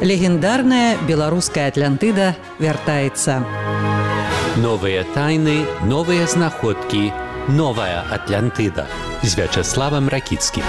Легендарная беларуская Атлантыда вяртаецца. Новыя тайны, новыя знаходкі, новая Атлантыда з Вячеславам Ракіцкім.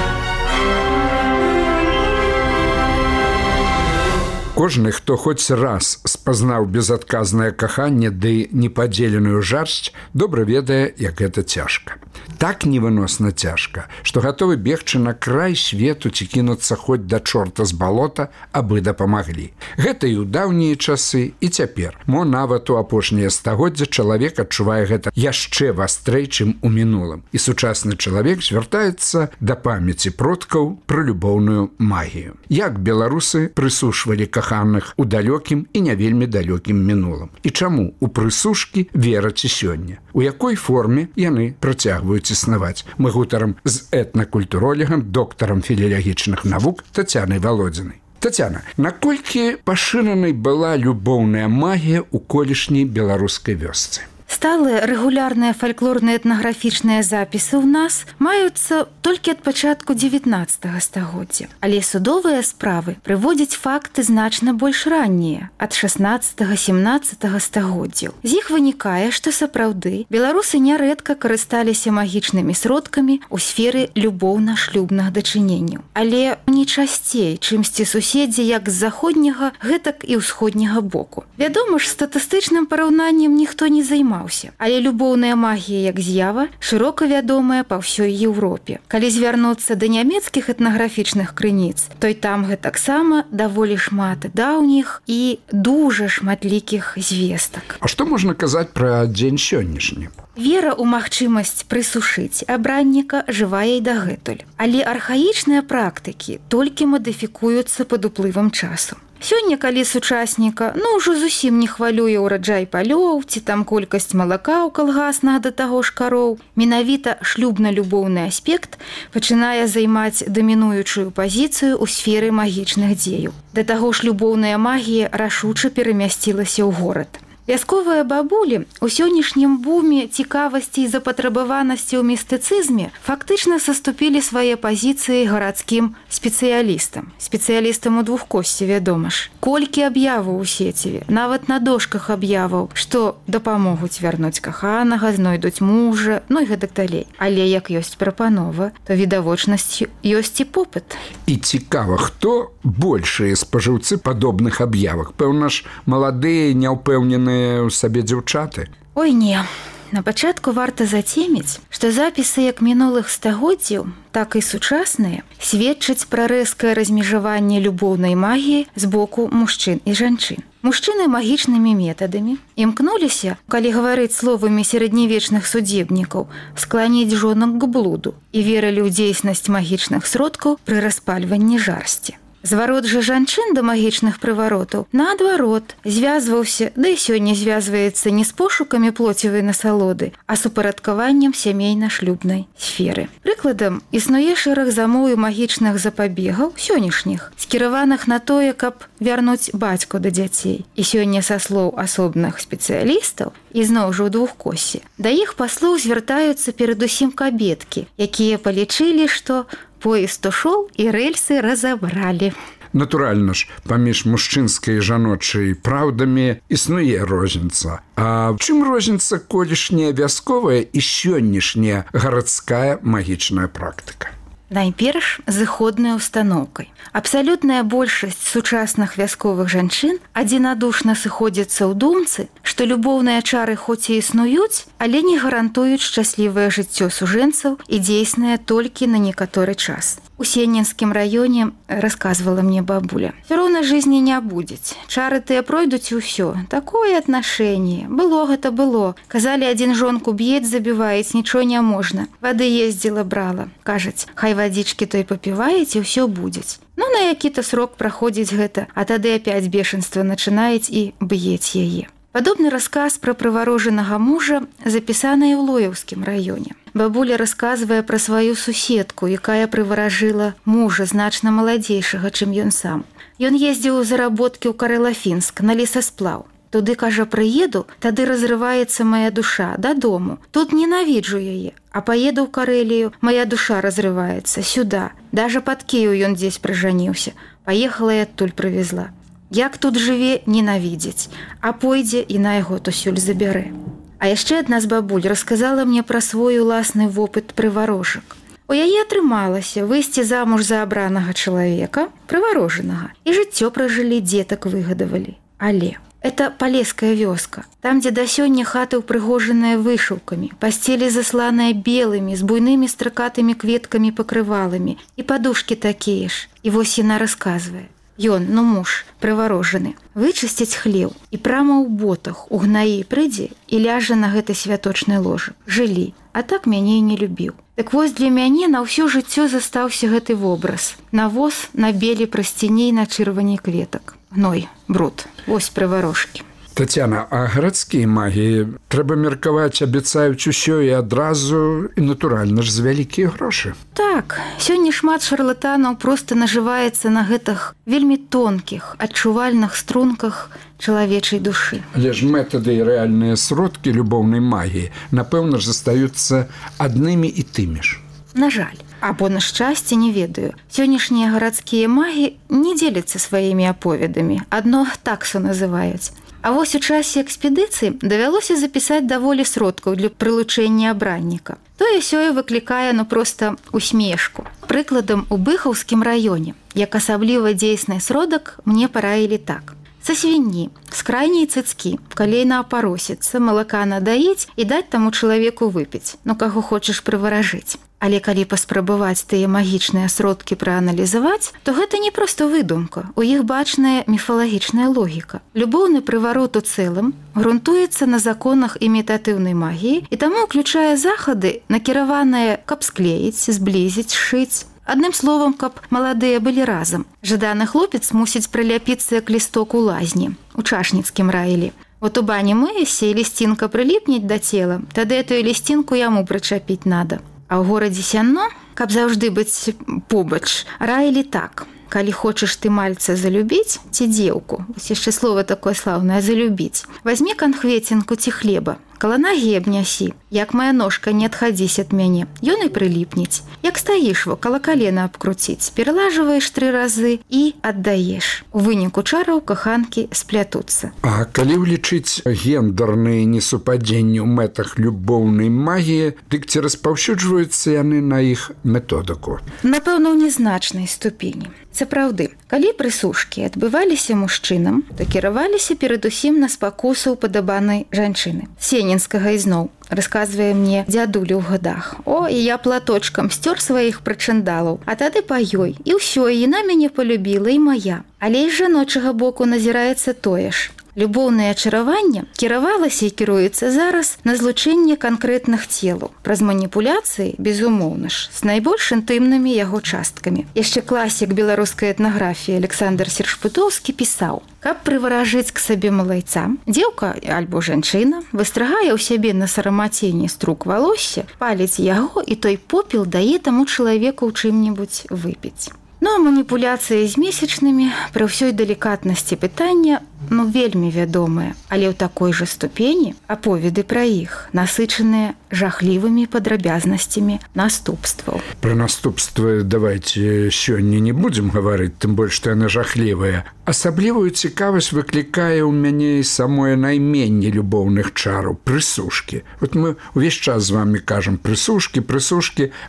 Кожны, хто хоць раз спазнаў безадказнае каханне ды непадзеленую жарсць, добра ведае, як гэта цяжка. Так невыносна цяжка, што гатовы бегчы на край свету ці кінуцца хоць да чорта з балота, абы дапамаглі. Гэта і ў даўнія часы, і цяпер. Мо нават у апошняе стагоддзя чалавек адчувае гэта яшчэ вастрэй, чым у мінулым. І сучасны чалавек звяртаецца да памяці продкаў пра любоўную магію. Як беларусы прысушвалі каханых у далёкім і не вельмі далёкім мінулым. І чаму у прысушкі вераць і сёння? У якой форме яны працягваюць існаваць? Мы гутарам з этнакультуролегам, доктарам філілагічных навук Тацянай Валодзінай. Тацяна, наколькі пашыранай была любоўная магія ў колішняй беларускай вёсцы? Сталыя рэгулярныя фальклорныя этнаграфічныя запісы ў нас маюцца толькі ад пачатку 19 стагоддзя. Але судовыя справы прыводзяць факты значна больш раннія, ад 16-17 стагоддзяў. З іх вынікае, што сапраўды беларусы нярэдка карысталіся магічнымі сродкамі ў сферы любоўна-шлюбных дачыненняў. Але не часцей, чымсьці суседзі як з заходняга, гэтак і ўсходняга боку. Вядома ж, статыстычным параўнаннем ніхто не займаўся. Але любоўная магія як з'ява шырока вядомая па ўсёй Еўропе. Калі звярнуцца да нямецкіх этнаграфічных крыніц, то і там гэтаксама даволі шмат даўніх і дужа шматлікіх звестак. А што можна казаць пра дзень сённяшні? Вера ў магчымасць прысушыць абранніка жывая і дагэтуль. Але архаічныя практыкі толькі мадыфікуюцца пад уплывам часу. Сёння, калі сучасніка, ўжо зусім не хвалюе ўраджай палёў, ці там колькасць малака ў калгаснах да таго ж кароў, менавіта шлюбна-любоўны аспект пачынае займаць дамінуючую пазіцыю ў сферы магічных дзеяў. Да таго ж любоўная магія рашуча перамясцілася ў горад. Вясковыя бабулі ў сённяшнім буме цікавасці і запатрабаванасці ў містыцызме фактычна саступілі свае пазіцыі гарадскім спецыялістам у двухкосці, вядома ж. Колькі аб'яваў у сеціве, нават на дошках аб'яваў, што дапамогуць вярнуць каханага, знойдуць мужа, і гэтак далей. Але як ёсць прапанова, то відавочнасць ёсць і попыт. І цікава, хто большыя спажыўцы падобных аб'явак? Пэўна ж, маладыя, няўпэўненыя у сабе дзяўчаты? Ой, не. На пачатку варта зацеміць, што запісы як мінулых стагоддзяў, так і сучасныя сведчаць пра рэзкае размежаванне любоўнай магіі з боку мужчын і жанчын. Мужчыны магічнымі метадамі імкнуліся, калі гаварыць словамі сярэднявечных судебнікаў, скланіць жонак к блуду і верылі ў дзейснасць магічных сродкаў пры распальванні жарсці. Зварот жа жанчын да магічных прываротаў, наадварот, звязваўся, да і сёння звязваецца не з пошукамі плоцевай насалоды, а супарадкаваннем сямейна-шлюбнай сферы. Прыкладам, існуе шэраг замоў і магічных запабегаў сённяшніх, скіраваных на тое, каб вярнуць бацьку да дзяцей. І сёння са слоў асобных спецыялістаў, і зноў жа ў двухкосе, да іх паслуг звяртаюцца перадусім кабеткі, якія палічылі, што поезд ушоў і рэльсы разабралі. Натуральна ж, паміж мужчынскай і жаночай праўдамі існуе розніца. А чым розніца колішняя вясковая і сённяшняя гарадская магічная практыка? Найперш, зыходнай устаноўкай. Абсалютная большасць сучасных вясковых жанчын адзінадушна сыходзяцца ў думцы, што любоўныя чары хоць і існуюць, але не гарантуюць шчаслівае жыццё сужэнцаў і дзейснае толькі на некаторы час. У Сеннінскім раёне расказвала мне бабуля. Всё роўна жизни не будзець. Чары тыя пройдуць і ўсё. Такое аднашэнне. Было гэта было. Казалі, адзін жонку б'ець, забіваець, нічого не можна. Вады ездзіла, брала. Кажаць, хай вадзічкі той папіваець і ўсё будзець. На які-то срок праходзіць гэта, а тады апять бешенства начинаюць і б'ець яе. Падобны расказ пра прыварожанага мужа запісаны ў Лоеўскім раёне. Бабуля расказвае пра сваю суседку, якая прываражыла мужа значна маладзейшага, чым ён сам. Ён ездзіў у заработкі ў Карэлафінск на лесасплаў. Туды, кажа, прыеду, тады разрываецца моя душа дадому. Тут ненавіджу яе, а поеду ў Карэлію, моя душа разрываецца сюда. Даже пад Кіеў ён здесь прыжаніўся. Паехала і адтуль прывезла. Як тут жыве, ненавідзець, а пойдзе і на яго тусюль забярэ. А яшчэ адна з бабуль расказала мне пра свой уласны вопыт прыварожак. У яе атрымалася выйсці замуж за абранага чалавека, прыварожанага, і жыццё пражылі, дзетак выгадавалі. Але это палеская вёска, там, дзе да сёння хаты ўпрыгожаныя вышыўкамі, пасцелі засланыя белымі, з буйнымі стракатымі кветкамі пакрываламі, і падушкі такія ж. І вось яна расказвае. Ён, муж, прыварожаны, вычысціць хлеў і прама ў ботах, у гнаі прыйдзе і ляжа на гэты святочны ложак. Жылі, а так мяне і не любіў. Так вось для мяне на ўсё жыццё застаўся гэты вобраз. Навоз на белі прасціней на чырвані кветак. Гной, бруд, вось прыварожкі. Тацяна, а гарадскія магіі, трэба меркаваць, абяцаюць усё і адразу, і натуральна ж за вялікія грошы. Так, сёння шмат шарлатанаў проста нажываецца на гэтых вельмі тонкіх, адчувальных струнках чалавечай душы. Але ж метады і рэальныя сродкі любоўнай магіі, напэўна ж, застаюцца аднымі і тымі ж. На жаль, або на шчасце, не ведаю. Сённяшнія гарадскія магі не дзеляцца сваімі аповедамі, адно таксу называюць. А вось у часе экспедыцыі давялося запісаць даволі сродкаў для прылучэння абранніка. Тое-сёе выклікае, проста усмешку. Прыкладам, у Быхаўскім раёне, як асабліва дзейсны сродак, мне параілі так. Са свінні, з крайняй цыцкі, калейна апаросіцца, малака надаіць і даць таму чалавеку выпіць, каго хочаш прываражыць. Але калі паспрабаваць тыя магічныя сродкі прааналізаваць, то гэта не проста выдумка, у іх бачная міфалагічная логіка. Любоўны прыварот у цэлым грунтуецца на законах імітатыўнай магіі і таму ўключае захады, накіраваныя, каб склеіць, зблізіць, сшыць. Адным словам, каб маладыя былі разам. Жаданы хлопец мусіць прыляпіцца як лісток у лазні, у чашніцкім раілі. Вот у бані мыешся, і лісцінка прыліпнець да цела, тады этую лісцінку яму прычапіць надо. А ў горадзе Сянно, каб заўжды быць побач, раілі так. Калі хочаш ты мальца залюбіць, ці дзеўку, вось яшчэ слова такое слаўнае, залюбіць, вазьмі канхвецінку ці хлеба, каля нагі абнясі, як моя ножка не адхадзісь ад мяне, ён і прыліпнець. Як стаіш во, каля калена абкруціць, пералажваеш 3 разы і аддаеш. У выніку чараў каханкі сплятуцца. А калі ўлічыць гендерныя несупадзенні ў мэтах любоўнай магіі, дык ці распаўсюджваюцца яны на іх методыку? Напэўна, ў незначнай ступені. Сапраўды, калі прысушкі адбываліся мужчынам, то кіраваліся перадусім на спакусу упадабанай жанчыны. Сенінскага ізноў расказвае мне дзядуля ў гадах. О, і я платочкам сцёр сваіх прычандалаў, а тады па ёй. І ўсё, і яна мяне полюбіла, і моя. Але і з жаночага боку назіраецца тое ж. Любоўнае ачараванне кіравалася і кіруецца зараз на злучэнне канкрэтных целаў. Праз маніпуляцыі, безумоўна ж, з найбольш інтымнымі яго часткамі. Яшчэ класік беларускай этнаграфіі Александр Сершпытоўскі пісаў: каб прываражыць к сабе малайца, дзеўка альбо жанчына выстрагае ў сябе на сарамаценні струк валосся, паліць яго, і той попел дае таму чалавеку ў чым-небудзь выпіць. А маніпуляцыі з месячнымі пры ўсёй далікатнасці пытання вельмі вядомыя, але ў такой жа ступені аповеды пра іх насычаныя жахлівымі падрабязнасцямі наступстваў. Пра наступствы давайте сёння не будзем гаварыць, тым больш што яны жахлівыя. Асаблівую цікавасць выклікае ў мяне і самое найменне любоўных чараў прысушкі. Вот мы ўвесь час з вами кажам прысушкі,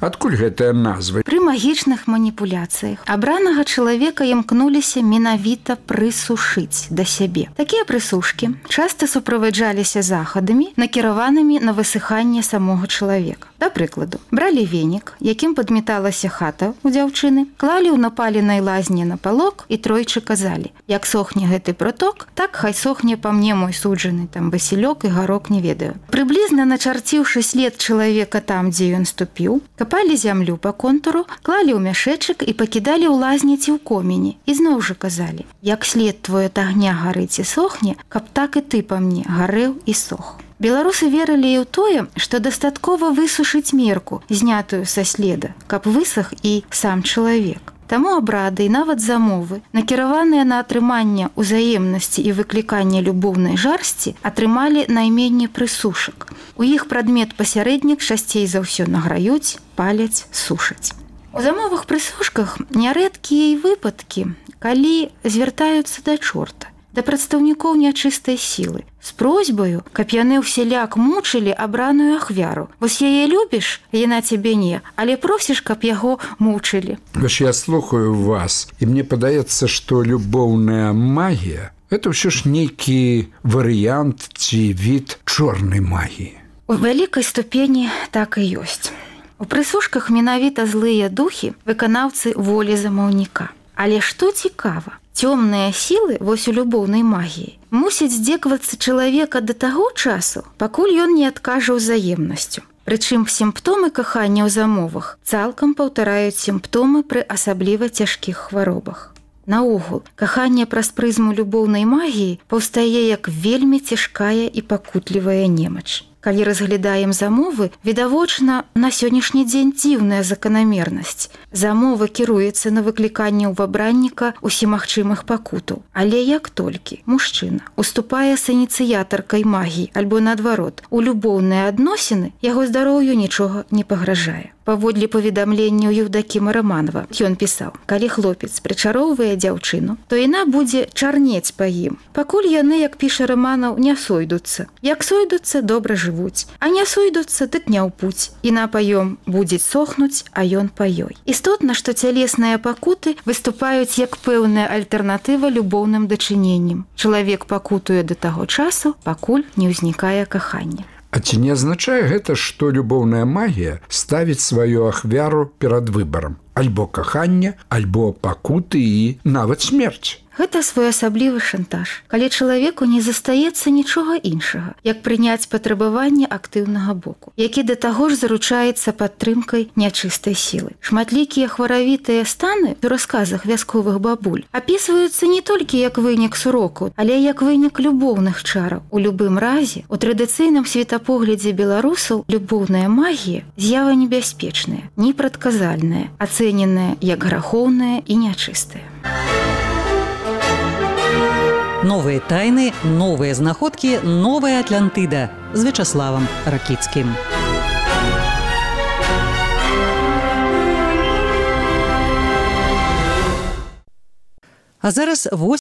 адкуль гэтая назва? Пры магічных маніпуляцыях абранага чалавека імкнуліся менавіта прысушыць да сябе. Такія прысушкі часта суправаджаліся захадамі, накіраванымі на высыханне самога чалавека. Да прыкладу, бралі венік, якім падметалася хата ў дзяўчыны, клалі ў напаленай лазні на палок і тройчы казалі: як сохне гэты проток, так хай сохне па мне мой суджаны, там васілёк і гарок, не ведаю. Прыблізна начарціўшы след чалавека там, дзе ён ступіў, капалі зямлю па контуру, клалі ў мяшэчак і пакідалі ў лазні ці ў комені. І зноў жа казалі: як след твой ад агня гарыць і сохне, каб так і ты па мне гарэў і сох. Беларусы верылі і ў тое, што дастаткова высушыць мерку, знятую са следа, каб высах і сам чалавек. Таму абрады і нават замовы, накіраваныя на атрыманне ўзаемнасці і выкліканне любоўнай жарсці, атрымалі найменне прысушак. У іх прадмет-пасярэднік часцей за ўсё награюць, паляць, сушаць. У замовых прысушках нярэдкія і выпадкі, калі звяртаюцца да чорта, да прадстаўнікоў нячыстай сілы, з просьбаю, каб яны ўсяляк мучылі абраную ахвяру. Вось яе любіш, яна цябе не, але просіш, каб яго мучылі. Вось я слухаю вас, і мне падаецца, што любоўная магія – это ўсё ж нейкі варыянт ці від чорнай магіі. У вялікай ступені так і ёсць. У прысушках менавіта злыя духі выканаўцы волі замаўніка. Але што цікава, цёмныя сілы вось у любоўнай магіі мусяць здзекавацца чалавека да таго часу, пакуль ён не адкажа ўзаемнасцю. Прычым сімптомы кахання ў замовах цалкам паўтараюць сімптомы пры асабліва цяжкіх хваробах. Наогул, каханне праз прызму любоўнай магіі паўстае як вельмі цяжкая і пакутлівая немач. Калі разглядаем замовы, відавочна на сённяшні дзень дзіўная заканамернасць. Замова кіруецца на выкліканне ў вабранніка усімагчымых пакутаў. Але як толькі мужчына уступае з ініцыятаркай магіі альбо наадварот, у любоўныя адносіны яго здароўю нічога не пагражае. Паводле паведамленняў Еўдакіма Раманова, ён пісаў: калі хлопец прычароўвае дзяўчыну, то яна будзе чарнець па ім, пакуль яны, як піша Раманаў, не сойдуцца. Як сойдуцца, добра жывуць, а не сойдуцца, дык не ў путь. Іна па ём будзе сохнуць, а ён па ёй. Істотна, што цялесныя пакуты выступаюць як пэўная альтэрнатыва любоўным дачыненням. Чалавек пакутуе да таго часу, пакуль не ўзнікае кахання. А ці не азначае гэта, што любоўная магія ставіць сваю ахвяру перад выбарам? Альбо каханне, альбо пакуты і нават смерць? Гэта своеасаблівы шантаж, калі чалавеку не застаецца нічога іншага, як прыняць патрабаванне актыўнага боку, які да таго ж заручаецца падтрымкай нячыстай сілы. Шматлікія хваравітыя станы у расказах вясковых бабуль апісваюцца не толькі як вынік суроку, але як вынік любоўных чараў. У любым разе, у традыцыйным светапоглядзе беларусаў любоўная магія з'ява небяспечная, непрадказальная, ацэненая як грахоўная і нячыстая. Новыя тайны, новыя знаходкі, новая Атлантыда з Вячаславам Ракіцкім. А зараз